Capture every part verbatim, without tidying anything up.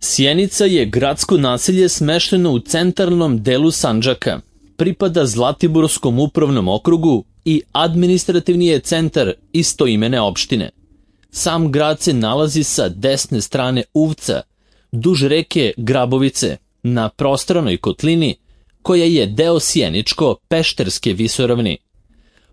Sjenica je gradsko naselje smešteno u centralnom delu Sandžaka, pripada Zlatiborskom upravnom okrugu i administrativni je centar istoimene opštine. Sam grad se nalazi sa desne strane Uvca, duž reke Grabovice, na prostranoj kotlini koja je deo Sjeničko-Pešterske visoravni.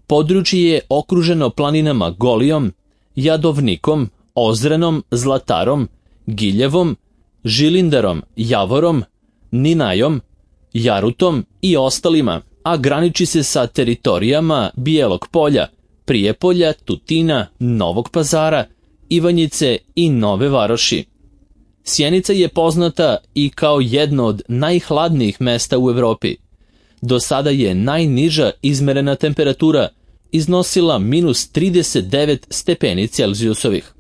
Područje je okruženo planinama Golijom, Jadovnikom, Ozrenom, Zlatarom, Giljevom, Žilindarom, Javorom, Ninajom, Jarutom i ostalima, a graniči se sa teritorijama Bijelog Polja, Prijepolja, Tutina, Novog Pazara, Ivanjice i Nove Varoši. Sjenica je poznata i kao jedno od najhladnijih mesta u Evropi. Do sada je najniža izmerena temperatura iznosila minus trideset devet stepeni Celzijusovih.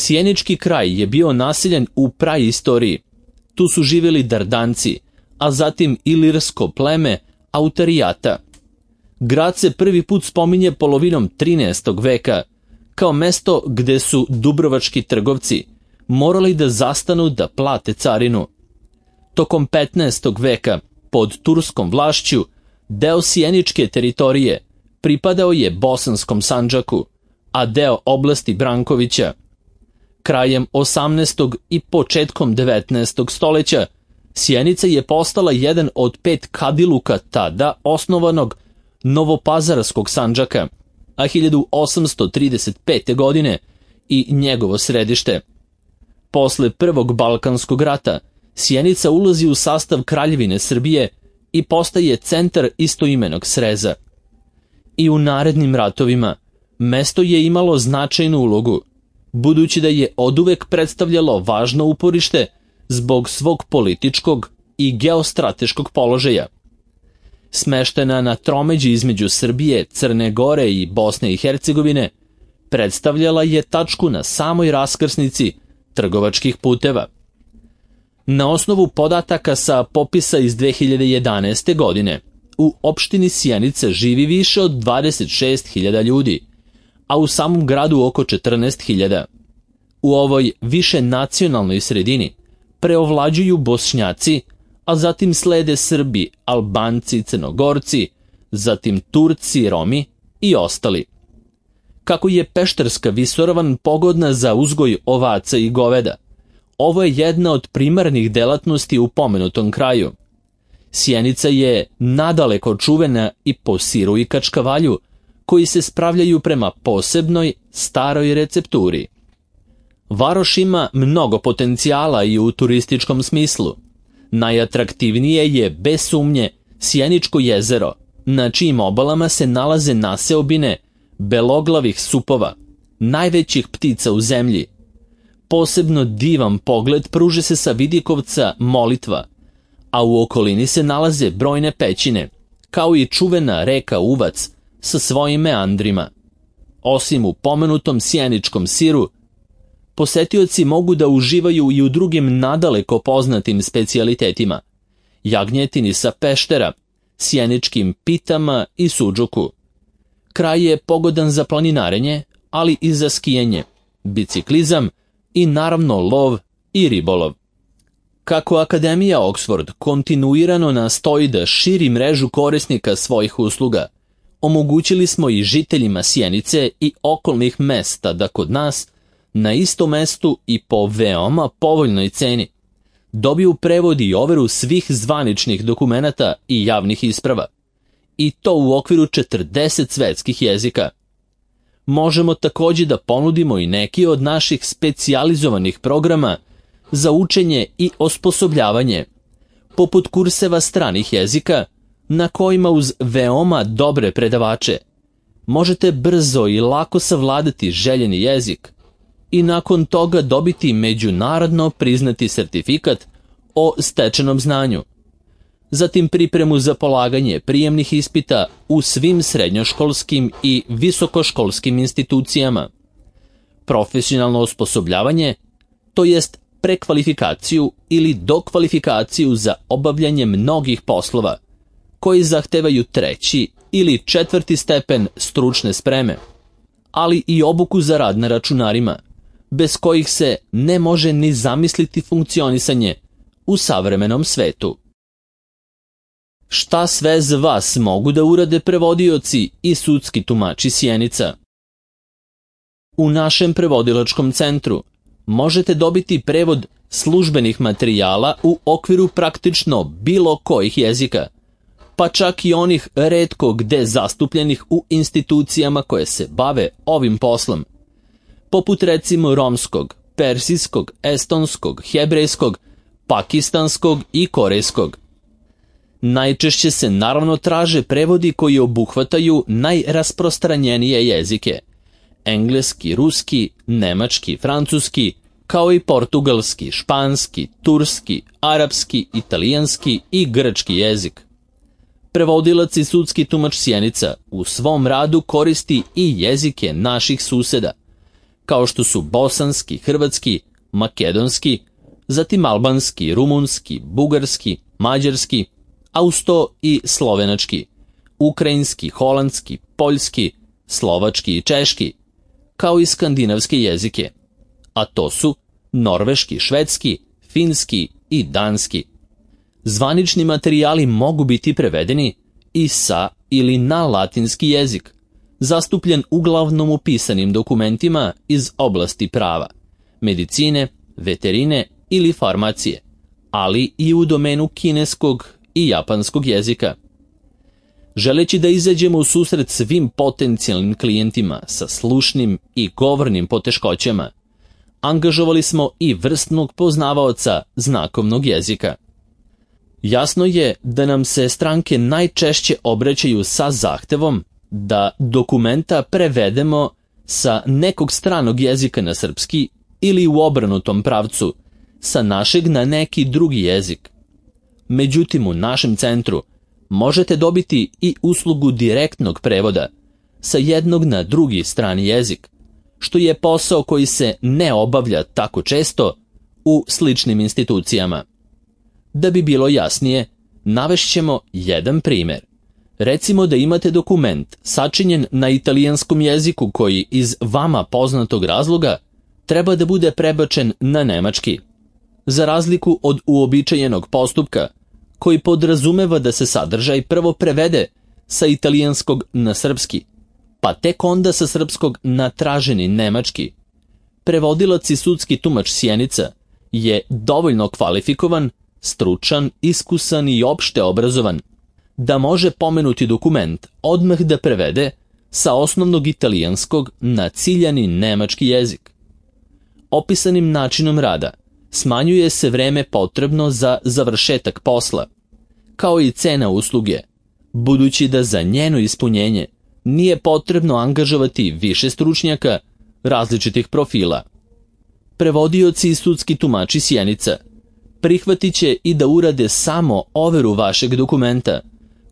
Sjenički kraj je bio naseljen u praistoriji. Tu su živjeli Dardanci, a zatim ilirsko pleme Autarijata. Grad se prvi put spominje polovinom trinaestog veka, kao mesto gde su dubrovački trgovci morali da zastanu da plate carinu. Tokom petnaestog veka, pod turskom vlašću, deo sjeničke teritorije pripadao je Bosanskom Sandžaku, a deo oblasti Brankovića. Krajem osamnaestog i početkom devetnaestog stoleća Sjenica je postala jedan od pet kadiluka tada osnovanog Novopazarskog Sandžaka, a hiljadu osamsto trideset pete. godine i njegovo središte. Posle Prvog Balkanskog rata Sjenica ulazi u sastav Kraljevine Srbije i postaje centar istoimenog sreza. I u narednim ratovima mesto je imalo značajnu ulogu, budući da je oduvek predstavljalo važno uporište zbog svog političkog i geostrateškog položaja. Smeštena na tromeđi između Srbije, Crne Gore i Bosne i Hercegovine, predstavljala je tačku na samoj raskrsnici trgovačkih puteva. Na osnovu podataka sa popisa iz dve hiljade jedanaeste. godine, u opštini Sjenica živi više od dvadeset šest hiljada ljudi, a u samom gradu oko četrnaest hiljada. U ovoj više nacionalnoj sredini preovlađuju Bošnjaci, a zatim slede Srbi, Albanci, Crnogorci, zatim Turci, Romi i ostali. Kako je Pešterska visoravan pogodna za uzgoj ovaca i goveda, ovo je jedna od primarnih delatnosti u pomenutom kraju. Sjenica je nadaleko čuvena i po siru i kačkavalju, koji se spravljaju prema posebnoj, staroj recepturi. Varoš ima mnogo potencijala i u turističkom smislu. Najatraktivnije je, bez sumnje, Sjeničko jezero, na čijim obalama se nalaze naseobine beloglavih supova, najvećih ptica u zemlji. Posebno divan pogled pruže se sa vidikovca Molitva, a u okolini se nalaze brojne pećine, kao i čuvena reka Uvac sa svojim meandrima. Osim u pomenutom sjeničkom siru, posetioci mogu da uživaju i u drugim nadaleko poznatim specijalitetima: jagnjetini sa Peštera, sjeničkim pitama i sudžuku. Kraj je pogodan za planinarenje, ali i za skijanje, biciklizam i naravno lov i ribolov. Kako Akademija Oxford kontinuirano nastoji da širi mrežu korisnika svojih usluga, omogućili smo i žiteljima Sjenice i okolnih mesta da kod nas, na istom mestu i po veoma povoljnoj ceni, dobiju prevod i overu svih zvaničnih dokumenata i javnih isprava, i to u okviru četrdeset svetskih jezika. Možemo također da ponudimo i neki od naših specijalizovanih programa za učenje i osposobljavanje, poput kurseva stranih jezika, na kojima uz veoma dobre predavače možete brzo i lako savladati željeni jezik i nakon toga dobiti međunarodno priznati sertifikat o stečenom znanju. Zatim pripremu za polaganje prijemnih ispita u svim srednjoškolskim i visokoškolskim institucijama, profesionalno osposobljavanje, to jest prekvalifikaciju ili dokvalifikaciju za obavljanje mnogih poslova, koji zahtevaju treći ili četvrti stepen stručne spreme, ali i obuku za rad na računarima, bez kojih se ne može ni zamisliti funkcionisanje u savremenom svetu. Šta sve za vas mogu da urade prevodioci i sudski tumači Sjenica? U našem prevodilačkom centru možete dobiti prevod službenih materijala u okviru praktično bilo kojih jezika, pa čak i onih retko gde zastupljenih u institucijama koje se bave ovim poslom, poput recimo romskog, persijskog, estonskog, hebrejskog, pakistanskog i korejskog. Najčešće se naravno traže prevodi koji obuhvataju najrasprostranjenije jezike: engleski, ruski, nemački, francuski, kao i portugalski, španski, turski, arapski, italijanski i grčki jezik. Prevodilac i sudski tumač Sjenica u svom radu koristi i jezike naših suseda, kao što su bosanski, hrvatski, makedonski, zatim albanski, rumunski, bugarski, mađarski, a uz to i slovenački, ukrajinski, holandski, poljski, slovački i češki, kao i skandinavske jezike, a to su norveški, švedski, finski i danski. Zvanični materijali mogu biti prevedeni i sa ili na latinski jezik, zastupljen uglavnom u pisanim dokumentima iz oblasti prava, medicine, veterine ili farmacije, ali i u domenu kineskog i japanskog jezika. Želeći da izađemo u susret svim potencijalnim klijentima sa slušnim i govornim poteškoćama, angažovali smo i vrsnog poznavaoca znakovnog jezika. Jasno je da nam se stranke najčešće obraćaju sa zahtevom da dokumenta prevedemo sa nekog stranog jezika na srpski ili u obrnutom pravcu, sa našeg na neki drugi jezik. Međutim, u našem centru možete dobiti i uslugu direktnog prevoda sa jednog na drugi strani jezik, što je posao koji se ne obavlja tako često u sličnim institucijama. Da bi bilo jasnije, navešćemo jedan primjer. Recimo da imate dokument sačinjen na italijanskom jeziku koji iz vama poznatog razloga treba da bude prebačen na nemački. Za razliku od uobičajenog postupka, koji podrazumeva da se sadržaj prvo prevede sa italijanskog na srpski, pa tek onda sa srpskog na traženi nemački, prevodilac i sudski tumač Sjenica je dovoljno kvalifikovan, stručan, iskusan i opšte obrazovan da može pomenuti dokument odmah da prevede sa osnovnog italijanskog na ciljani nemački jezik. Opisanim načinom rada smanjuje se vreme potrebno za završetak posla, kao i cena usluge, budući da za njeno ispunjenje nije potrebno angažovati više stručnjaka različitih profila. Prevodioci i sudski tumači Sjenica prihvatit će i da urade samo overu vašeg dokumenta,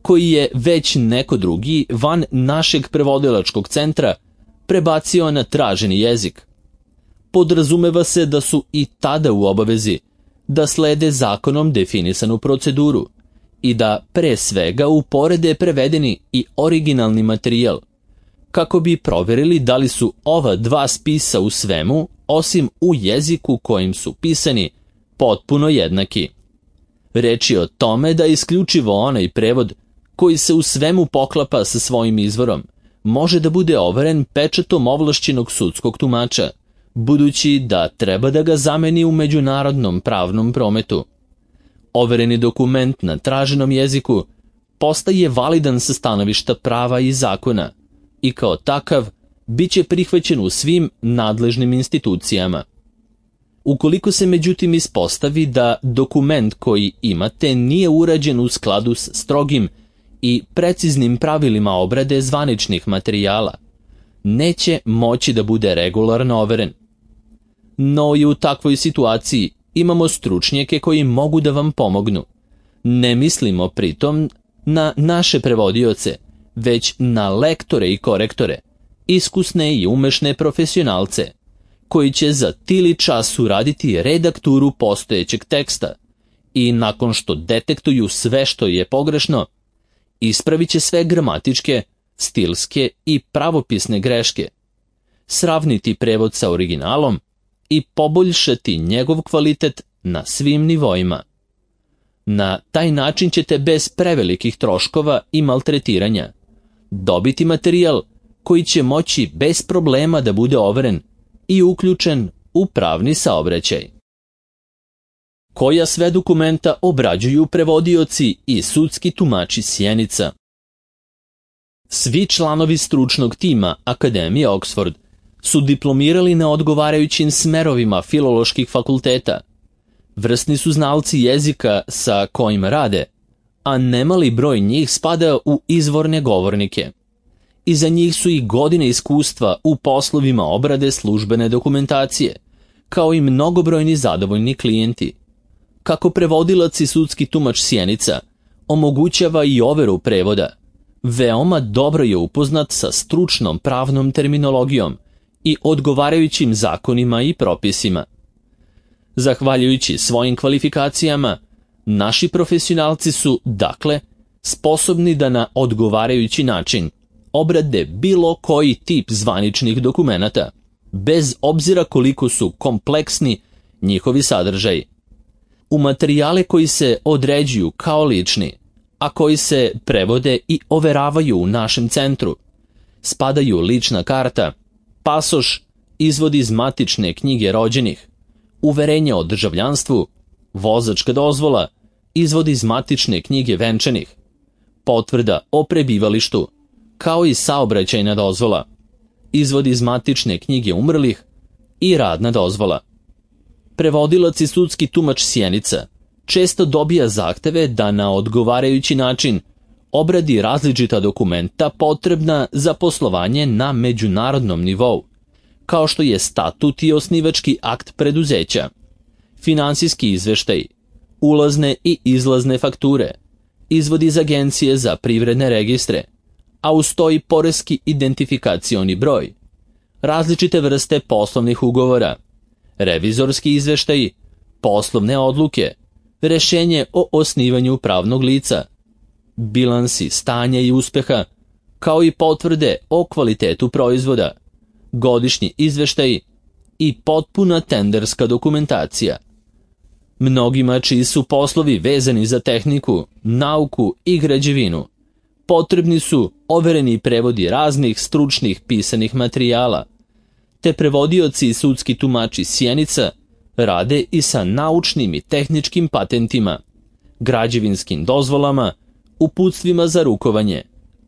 koji je već neko drugi van našeg prevodilačkog centra prebacio na traženi jezik. Podrazumeva se da su i tada u obavezi da slede zakonom definisanu proceduru i da pre svega uporede prevedeni i originalni materijal, kako bi proverili da li su ova dva spisa u svemu, osim u jeziku kojim su pisani, potpuno jednaki. Reč je o tome da isključivo onaj prevod koji se u svemu poklapa sa svojim izvorom može da bude overen pečatom ovlašćenog sudskog tumača, budući da treba da ga zameni u međunarodnom pravnom prometu. Overeni dokument na traženom jeziku postaje validan sa stanovišta prava i zakona i kao takav bit će prihvaćen u svim nadležnim institucijama. Ukoliko se međutim ispostavi da dokument koji imate nije urađen u skladu s strogim i preciznim pravilima obrade zvaničnih materijala, neće moći da bude regularno overen. No i u takvoj situaciji imamo stručnjake koji mogu da vam pomognu. Ne mislimo pritom na naše prevodioce, već na lektore i korektore, iskusne i umešne profesionalce, koji će za tili čas uraditi redakturu postojećeg teksta i nakon što detektuju sve što je pogrešno, ispravit će sve gramatičke, stilske i pravopisne greške, sravniti prevod sa originalom i poboljšati njegov kvalitet na svim nivoima. Na taj način ćete bez prevelikih troškova i maltretiranja dobiti materijal koji će moći bez problema da bude overen i uključen u pravni saobraćaj. Koja sve dokumenta obrađuju prevodioci i sudski tumači Sjenica? Svi članovi stručnog tima Akademije Oxford su diplomirali na odgovarajućim smerovima filoloških fakulteta. Vrsni su znalci jezika sa kojima rade, a nemali broj njih spada u izvorne govornike. Iza njih su i godine iskustva u poslovima obrade službene dokumentacije, kao i mnogobrojni zadovoljni klijenti. Kako prevodilac i sudski tumač Sjenica omogućava i overu prevoda, veoma dobro je upoznat sa stručnom pravnom terminologijom i odgovarajućim zakonima i propisima. Zahvaljujući svojim kvalifikacijama, naši profesionalci su, dakle, sposobni da na odgovarajući način obrade bilo koji tip zvaničnih dokumenata, bez obzira koliko su kompleksni njihovi sadržaji. U materijale koji se određuju kao lični, a koji se prevode i overavaju u našem centru, spadaju lična karta, pasoš, izvod iz matične knjige rođenih, uverenje o državljanstvu, vozačka dozvola, izvod iz matične knjige venčanih, potvrda o prebivalištu, kao i saobraćajna dozvola, izvod iz matične knjige umrlih i radna dozvola. Prevodilac i sudski tumač Sjenica često dobija zahteve da na odgovarajući način obradi različita dokumenta potrebna za poslovanje na međunarodnom nivou, kao što je statut i osnivački akt preduzeća, finansijski izveštaj, ulazne i izlazne fakture, izvod iz agencije za privredne registre, a uz to i poreski identifikacioni broj, različite vrste poslovnih ugovora, revizorski izveštaji, poslovne odluke, rešenje o osnivanju pravnog lica, bilansi stanja i uspeha, kao i potvrde o kvalitetu proizvoda, godišnji izveštaji i potpuna tenderska dokumentacija. Mnogima čiji su poslovi vezani za tehniku, nauku i građevinu, potrebni su overeni prevodi raznih stručnih pisanih materijala, te prevodioci i sudski tumači Sjenica rade i sa naučnim i tehničkim patentima, građevinskim dozvolama, uputstvima za rukovanje,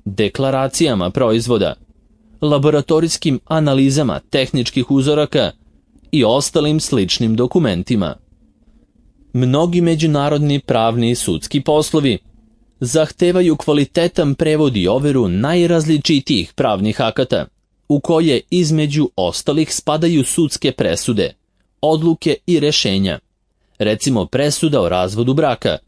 deklaracijama proizvoda, laboratorijskim analizama tehničkih uzoraka i ostalim sličnim dokumentima. Mnogi međunarodni pravni i sudski poslovi zahtevaju kvalitetan prevod i overu najrazličitijih pravnih akata, u koje između ostalih spadaju sudske presude, odluke i rešenja, recimo presuda o razvodu braka,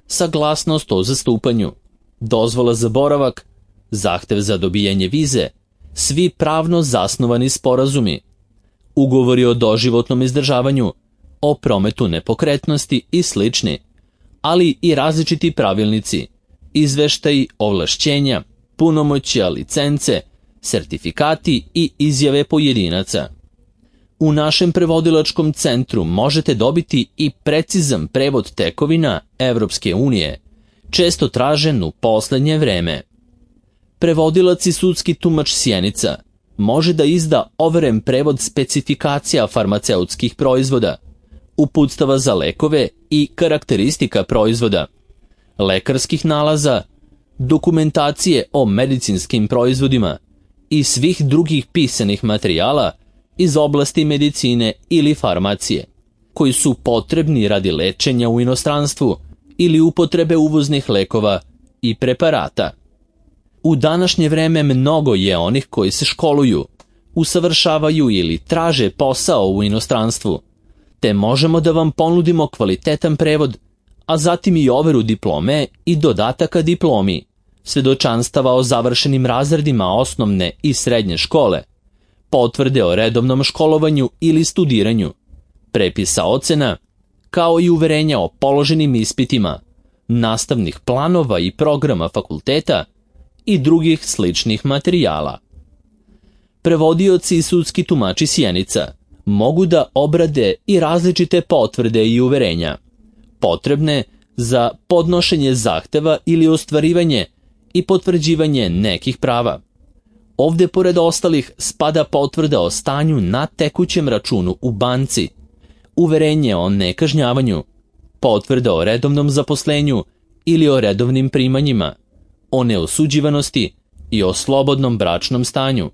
saglasnost o zastupanju, dozvola za boravak, zahtev za dobijanje vize, svi pravno zasnovani sporazumi, ugovori o doživotnom izdržavanju, o prometu nepokretnosti i slični, ali i različiti pravilnici, izveštaji, ovlašćenja, punomoćja, licence, sertifikati i izjave pojedinaca. U našem prevodilačkom centru možete dobiti i precizan prevod tekovina Evropske unije, često tražen u poslednje vreme. Prevodilac i sudski tumač Sjenica može da izda overen prevod specifikacija farmaceutskih proizvoda, uputstava za lekove i karakteristika proizvoda, lekarskih nalaza, dokumentacije o medicinskim proizvodima i svih drugih pisanih materijala iz oblasti medicine ili farmacije, koji su potrebni radi lečenja u inostranstvu ili upotrebe uvoznih lekova i preparata. U današnje vreme mnogo je onih koji se školuju, usavršavaju ili traže posao u inostranstvu, te možemo da vam ponudimo kvalitetan prevod, a zatim i overu diplome i dodataka diplomi, svedočanstava o završenim razredima osnovne i srednje škole, potvrde o redovnom školovanju ili studiranju, prepisa ocena, kao i uverenja o položenim ispitima, nastavnih planova i programa fakulteta i drugih sličnih materijala. Prevodioci i sudski tumači Sjenica mogu da obrade i različite potvrde i uverenja, potrebne za podnošenje zahteva ili ostvarivanje i potvrđivanje nekih prava. Ovde pored ostalih spada potvrda o stanju na tekućem računu u banci, uverenje o nekažnjavanju, potvrda o redovnom zaposlenju ili o redovnim primanjima, o neosuđivanosti i o slobodnom bračnom stanju,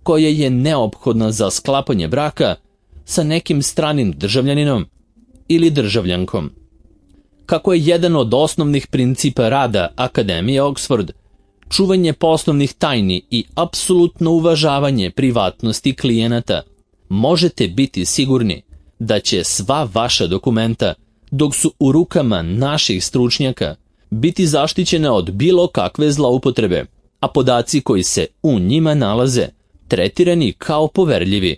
koja je neophodna za sklapanje braka sa nekim stranim državljaninom ili državljankom. Kako je jedan od osnovnih principa rada Akademije Oxford čuvanje poslovnih tajni i apsolutno uvažavanje privatnosti klijenata, možete biti sigurni da će sva vaša dokumenta, dok su u rukama naših stručnjaka, biti zaštićena od bilo kakve zloupotrebe, a podaci koji se u njima nalaze tretirani kao poverljivi.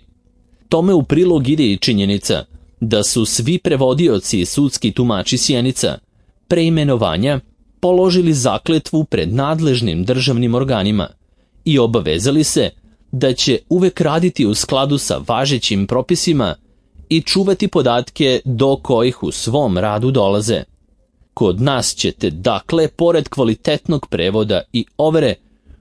Tome u prilog ide i činjenica da su svi prevodioci i sudski tumači Sjenica pre imenovanja položili zakletvu pred nadležnim državnim organima i obavezali se da će uvek raditi u skladu sa važećim propisima i čuvati podatke do kojih u svom radu dolaze. Kod nas ćete, dakle, pored kvalitetnog prevoda i overe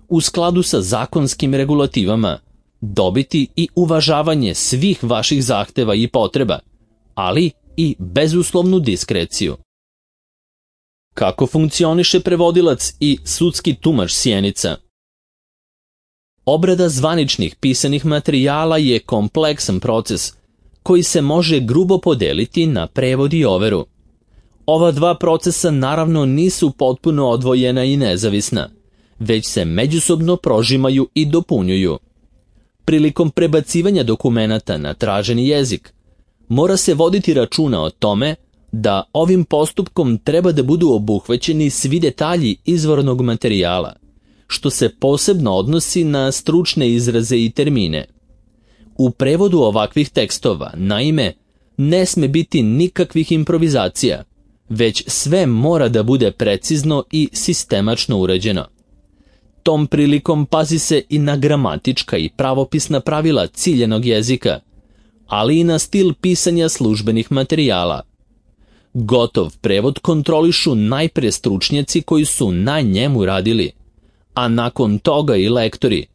u skladu sa zakonskim regulativama, dobiti i uvažavanje svih vaših zahteva i potreba, ali i bezuslovnu diskreciju. Kako funkcioniše prevodilac i sudski tumač Sjenica? Obrada zvaničnih pisanih materijala je kompleksan proces koji se može grubo podeliti na prevod i overu. Ova dva procesa naravno nisu potpuno odvojena i nezavisna, već se međusobno prožimaju i dopunjuju. Prilikom prebacivanja dokumenata na traženi jezik, mora se voditi računa o tome da ovim postupkom treba da budu obuhvaćeni svi detalji izvornog materijala, što se posebno odnosi na stručne izraze i termine. U prevodu ovakvih tekstova, naime, ne sme biti nikakvih improvizacija, već sve mora da bude precizno i sistemačno urađeno. Tom prilikom pazi se i na gramatička i pravopisna pravila ciljenog jezika, ali i na stil pisanja službenih materijala. Gotov prevod kontrolišu najpre stručnjaci koji su na njemu radili, a nakon toga i lektori,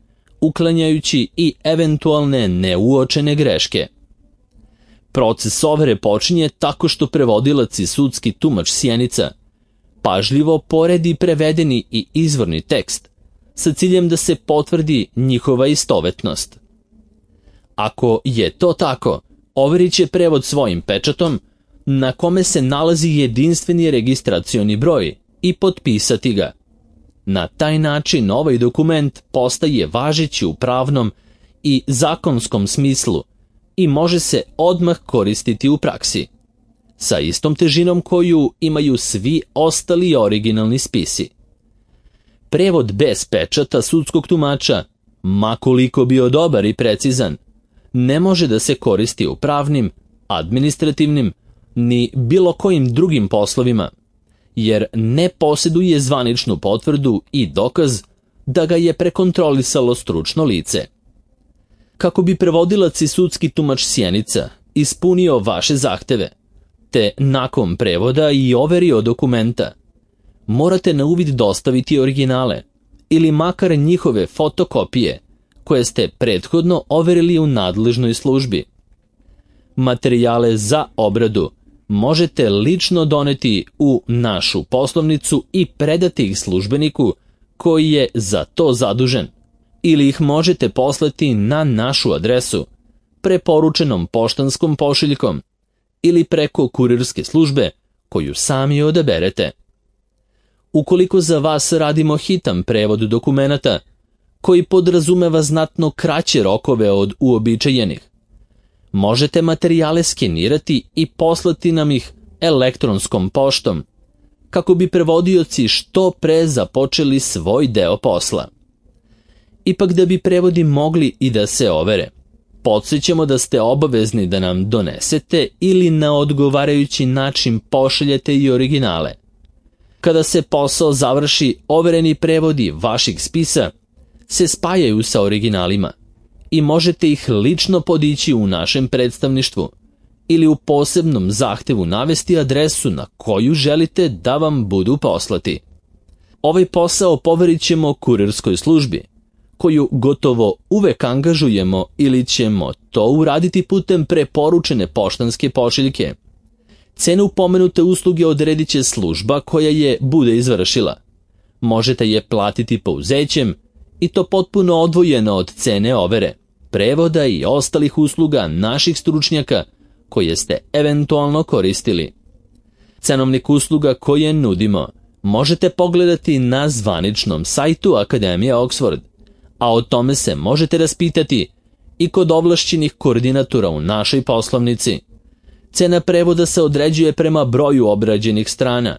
uklanjajući i eventualne neuočene greške. Proces overe počinje tako što prevodilac i sudski tumač Sjenica pažljivo poredi prevedeni i izvorni tekst sa ciljem da se potvrdi njihova istovetnost. Ako je to tako, overit će prevod svojim pečatom na kome se nalazi jedinstveni registracioni broj i potpisati ga. Na taj način ovaj dokument postaje važeći u pravnom i zakonskom smislu i može se odmah koristiti u praksi, sa istom težinom koju imaju svi ostali originalni spisi. Prevod bez pečata sudskog tumača, ma koliko bio dobar i precizan, ne može da se koristi u pravnim, administrativnim, ni bilo kojim drugim poslovima, jer ne posjeduje zvaničnu potvrdu i dokaz da ga je prekontrolisalo stručno lice. Kako bi prevodilac i sudski tumač Sjenica ispunio vaše zahteve, te nakon prevoda i overio dokumenta, morate na uvid dostaviti originale ili makar njihove fotokopije koje ste prethodno overili u nadležnoj službi. Materijale za obradu možete lično doneti u našu poslovnicu i predati ih službeniku koji je za to zadužen, ili ih možete poslati na našu adresu, preporučenom poštanskom pošiljkom ili preko kurirske službe koju sami odaberete. Ukoliko za vas radimo hitan prevod dokumenata koji podrazumeva znatno kraće rokove od uobičajenih, možete materijale skenirati i poslati nam ih elektronskom poštom, kako bi prevodioci što pre započeli svoj deo posla. Ipak da bi prevodi mogli i da se overe, podsjećamo da ste obavezni da nam donesete ili na odgovarajući način pošaljete i originale. Kada se posao završi, overeni prevodi vaših spisa se spajaju sa originalima i možete ih lično podići u našem predstavništvu ili u posebnom zahtevu navesti adresu na koju želite da vam budu poslati. Ovaj posao poverit ćemo kurirskoj službi, koju gotovo uvek angažujemo ili ćemo to uraditi putem preporučene poštanske pošiljke. Cenu pomenute usluge odredit će služba koja je bude izvršila. Možete je platiti pouzećem i to potpuno odvojeno od cene overe, prevoda i ostalih usluga naših stručnjaka koje ste eventualno koristili. Cenovnik usluga koje nudimo možete pogledati na zvaničnom sajtu Akademije Oxford, a o tome se možete raspitati i kod ovlašćenih koordinatora u našoj poslovnici. Cena prevoda se određuje prema broju obrađenih strana,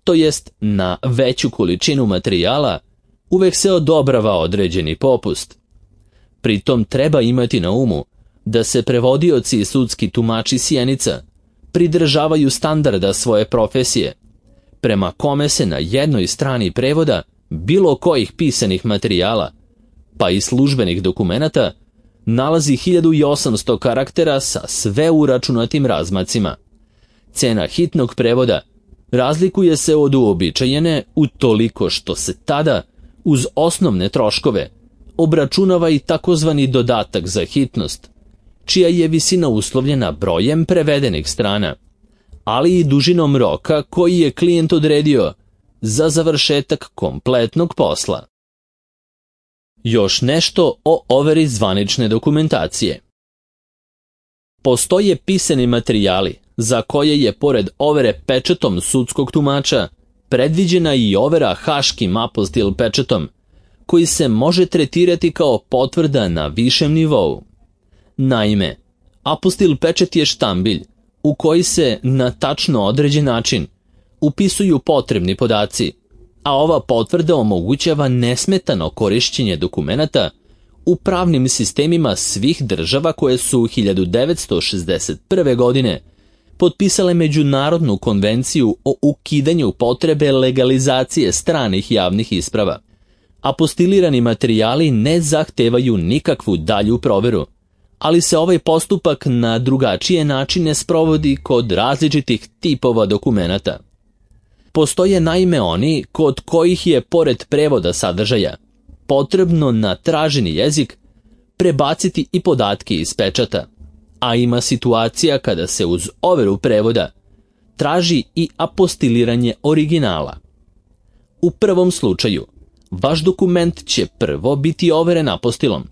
to jest na veću količinu materijala uvek se odobrava određeni popust. Pritom treba imati na umu da se prevodioci i sudski tumači Sjenica pridržavaju standarda svoje profesije, prema kome se na jednoj strani prevoda bilo kojih pisanih materijala, pa i službenih dokumenata, nalazi hiljadu osamsto karaktera sa sve uračunatim razmacima. Cena hitnog prevoda razlikuje se od uobičajene utoliko što se tada, uz osnovne troškove, obračunava i takozvani dodatak za hitnost, čija je visina uslovljena brojem prevedenih strana, ali i dužinom roka koji je klijent odredio za završetak kompletnog posla. Još nešto o overi zvanične dokumentacije. Postoje pisani materijali za koje je pored overe pečatom sudskog tumača predviđena i overa haškim apostil pečatom, koji se može tretirati kao potvrda na višem nivou. Naime, apostil pečat je štambilj u koji se na tačno određen način upisuju potrebni podaci, a ova potvrda omogućava nesmetano korišćenje dokumenata u pravnim sistemima svih država koje su hiljadu devetsto šezdeset prve. godine potpisale Međunarodnu konvenciju o ukidanju potrebe legalizacije stranih javnih isprava. Apostilirani materijali ne zahtevaju nikakvu dalju proveru, ali se ovaj postupak na drugačije načine sprovodi kod različitih tipova dokumenata. Postoje naime oni kod kojih je pored prevoda sadržaja potrebno na traženi jezik prebaciti i podatke iz pečata, a ima situacija kada se uz overu prevoda traži i apostiliranje originala. U prvom slučaju, vaš dokument će prvo biti overen apostilom,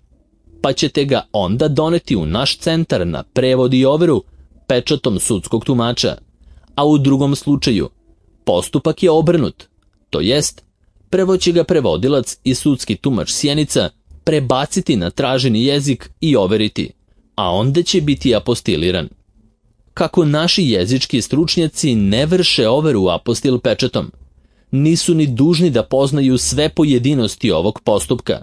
pa ćete ga onda doneti u naš centar na prevod i overu pečatom sudskog tumača, a u drugom slučaju postupak je obrnut, to jest, prvo će ga prevodilac i sudski tumač Sjenica prebaciti na traženi jezik i overiti, a onda će biti apostiliran. Kako naši jezički stručnjaci ne vrše overu apostil pečatom, nisu ni dužni da poznaju sve pojedinosti ovog postupka,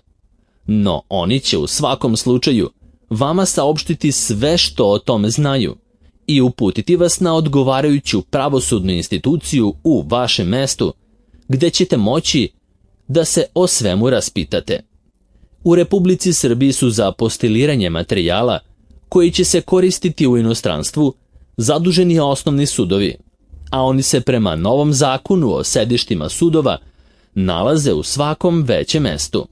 no oni će u svakom slučaju vama saopštiti sve što o tome znaju i uputiti vas na odgovarajuću pravosudnu instituciju u vašem mestu, gde ćete moći da se o svemu raspitate. U Republici Srbiji su za apostiliranje materijala koji će se koristiti u inostranstvu zaduženi osnovni sudovi, a oni se prema novom zakonu o sedištima sudova nalaze u svakom većem mestu.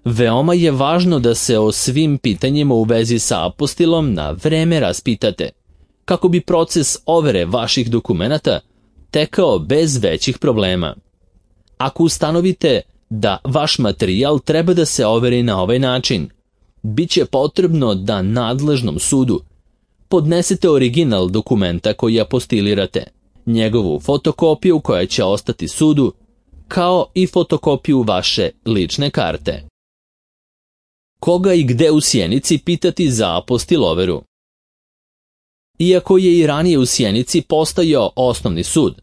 Veoma je važno da se o svim pitanjima u vezi sa apostilom na vreme raspitate, kako bi proces overe vaših dokumenata tekao bez većih problema. Ako ustanovite da vaš materijal treba da se overi na ovaj način, bit će potrebno da nadležnom sudu podnesete original dokumenta koji apostilirate, njegovu fotokopiju koja će ostati sudu, kao i fotokopiju vaše lične karte. Koga i gde u Sjenici pitati za apostil overu? Iako je i ranije u Sjenici postojao osnovni sud,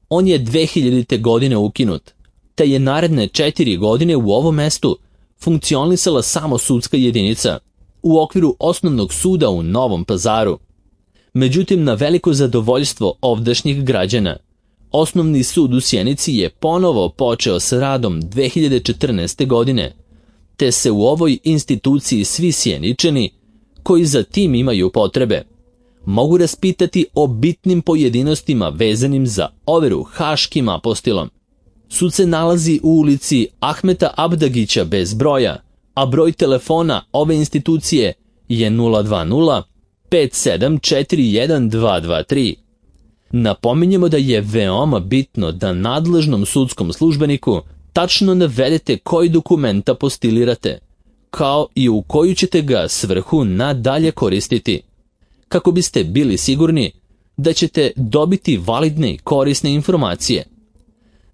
on je dve hiljadite. godine ukinut, te je naredne četiri godine u ovom mestu funkcionisala samo sudska jedinica u okviru osnovnog suda u Novom Pazaru. Međutim, na veliko zadovoljstvo ovdašnjih građana, osnovni sud u Sjenici je ponovo počeo sa radom dve hiljade četrnaeste. godine, te se u ovoj instituciji svi Sjeničani, koji za tim imaju potrebe, mogu raspitati o bitnim pojedinostima vezanim za overu Haškim apostilom. Sud se nalazi u ulici Ahmeta Abdagića bez broja, a broj telefona ove institucije je nula dva nula pet sedam četiri jedan dva dva tri. Napominjemo da je veoma bitno da nadležnom sudskom službeniku tačno navedete koji dokumenta postilirate, kao i u koju ćete ga svrhu nadalje koristiti, kako biste bili sigurni da ćete dobiti validne i korisne informacije.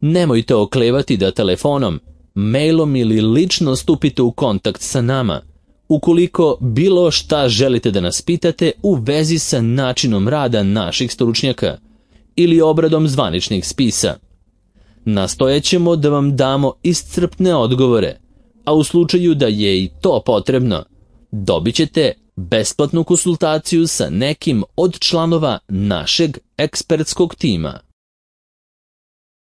Nemojte oklevati da telefonom, mailom ili lično stupite u kontakt sa nama, ukoliko bilo šta želite da nas pitate u vezi sa načinom rada naših stručnjaka ili obradom zvaničnih spisa. Nastojećemo da vam damo iscrpne odgovore, a u slučaju da je i to potrebno, dobit ćete besplatnu konsultaciju sa nekim od članova našeg ekspertskog tima.